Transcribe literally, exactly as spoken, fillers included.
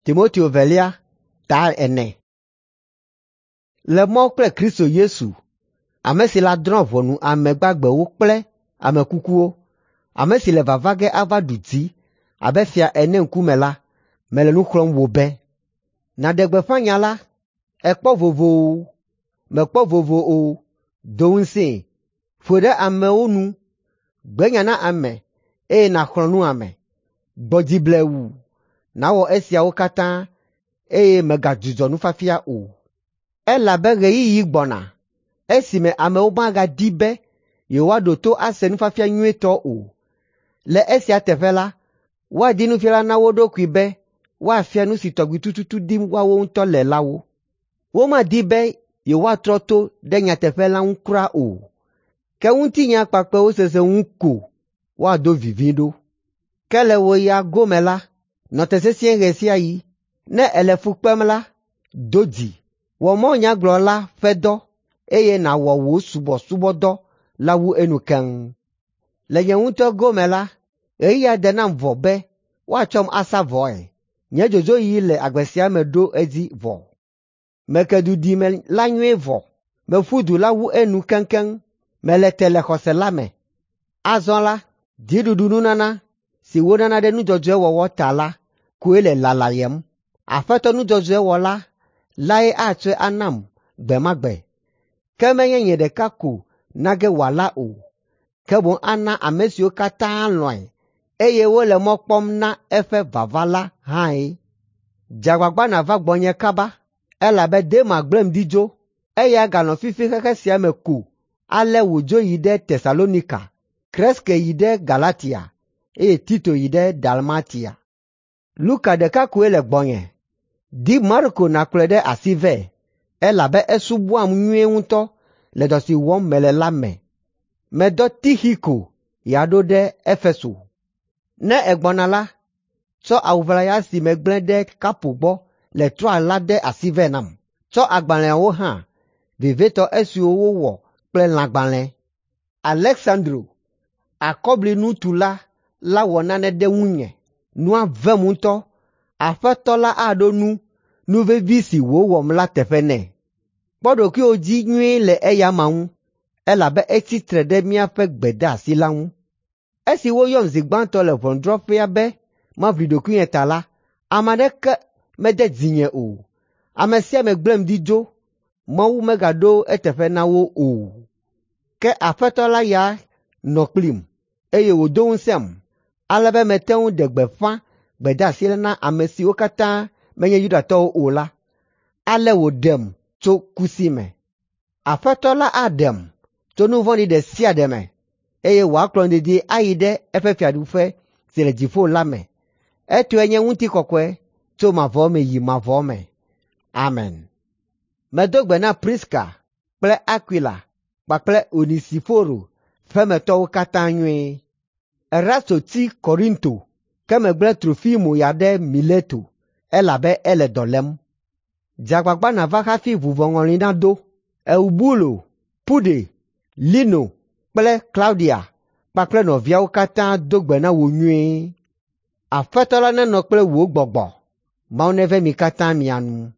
Timoteo velia ta ene. Le Mawu kple Kristo Yesu, ame si la drɔ̃ ʋɔnu ame gbagbewo kple ame kukuwo, ame si le vava ge ava ɖu dzi abe fia ene ŋkume la, mele nu xlɔ̃m wò be, nàɖe gbeƒã nya la. Èkpɔ vovo o, mèkpɔ vovo o, do ŋusẽe, ƒoe ɖe amewo nu, gbe nya na ame eye nàxlɔ̃ nu ame. Gbɔ dzi blewu, nàwɔ esiawo katã eye mègadzudzɔ nufiafia o. Elabe ɣeyiɣi gbɔna esime amewo magadi be yewoaɖo to ase nufiafia nyuitɔ o. Le esia teƒe la, woadi nufiala na wo ɖokui be woafia nu si tɔgbi tututu dim woawo ŋutɔ le la wo. Womadi be yewoatrɔ to ɖe nyateƒe la ŋu kura o, ke ŋutinya kpakpɛwo sese ŋu ko woado vivi ɖo. Ke le wò ya gome la, nɔ te sesĩe ɣe sia ɣi. Ne èle fu kpem la, do dzi, wɔ mawunyagblɔla ƒe dɔ eye nàwɔ wò subɔsubɔdɔ la wu enu keŋ. Le nye ŋutɔ gome la, ɣeyiɣia de nam vɔ be woatsɔm asa vɔe. Nye dzodzoɣi le agbe sia me ɖo edzi vɔ. Meke duɖime la nyuie vɔ. Meƒu du la wu enu keŋkeŋ. Mele te le xɔse la me. Azɔ la, dziɖuɖununana si wonana ɖe nu dzɔdzɔe wɔwɔ ta la koe le lalayem. Aƒetɔ nu dzɔdzɔe wɔla lae atsɔe anam gbe ma gbe. Ke menye nye ɖeka ko na ge wòala o, ke boŋ ana ame siwo katã lɔ̃e eye wole mɔ kpɔm na eƒe vava la hãe. Dze agbagba nàva gbɔnye kaba, elabe Dema gblẽm ɖi dzo. Eya ganɔ fifi xexe sia me ko ale wòdzo yi ɖe Tesalonika, Kreske yi ɖe Galatia eye Tito yi ɖe Dalmatia. Luka ɖeka koe le gbɔnye. Di Marko nàkplɔe ɖe asi vɛ, elabe esubɔam nyuie ŋutɔ le dɔ si wɔm mele la me. Medɔ Tixiko ya ɖo ɖe Efeso. Ne ègbɔna la, tsɔ awu ʋlaya si megblẽ ɖe Karpo gbɔ le Troa la de asi vɛ nam. Tsɔ agbalẽawo hã, vevietɔ esiwo wowɔ kple lãgbalẽ. Aleksandro, akɔblinutula la wɔ nane ɖe ŋunye. Nua vem ŋutɔ. Aƒetɔ la aɖo nu nu vevi si wòwɔm la teƒe nɛ. Kpɔ ɖokuiwò dzi nyuie le eya amea ŋu, elabe etsi tre ɖe míaƒe gbedeasi la ŋu. Esi woyɔm zi gbãtɔ le ʋɔnudrɔ̃ƒea be maʋli ɖokuinye ta la, ame aɖeke mede dzinye o. Ame sia ame gblẽm ɖi dzo. Mawu megaɖo eteƒe na wo o. Ke Aƒetɔ la ya nɔ kplim, eye wòdo ŋusẽm, ale be mete ŋu ɖe gbeƒã gbedeasi la na ame siwo katã menye Yudatɔwo o la. Ale wòɖem tso ku si me. Aƒetɔ la aɖem tso nu vɔ̃ɖi ɖe sia ɖe me, eye wòakplɔm dedie ayi ɖe eƒe fiaɖuƒe si le dziƒo la me. Etɔe nye ŋutikɔkɔe tso mavɔ me yi mavɔ me. Amen. Medo gbe na Priska kple Akwila kpakple Onesiforo ƒemetɔwo katã nyuie. Erasto tsi Korinto, ke megblẽ Trofimo ya ɖe Mileto, elabe ele dɔ lém. Dze agbagba nàva hafi vuvɔŋɔli nado. Eubulo, Pude, Lino kple Klaudia kpakple nɔviawo katã do gbe na wò nyuie. Aƒetɔ la nenɔ kple wò gbɔgbɔ. Mawu neve mi katã mia nu.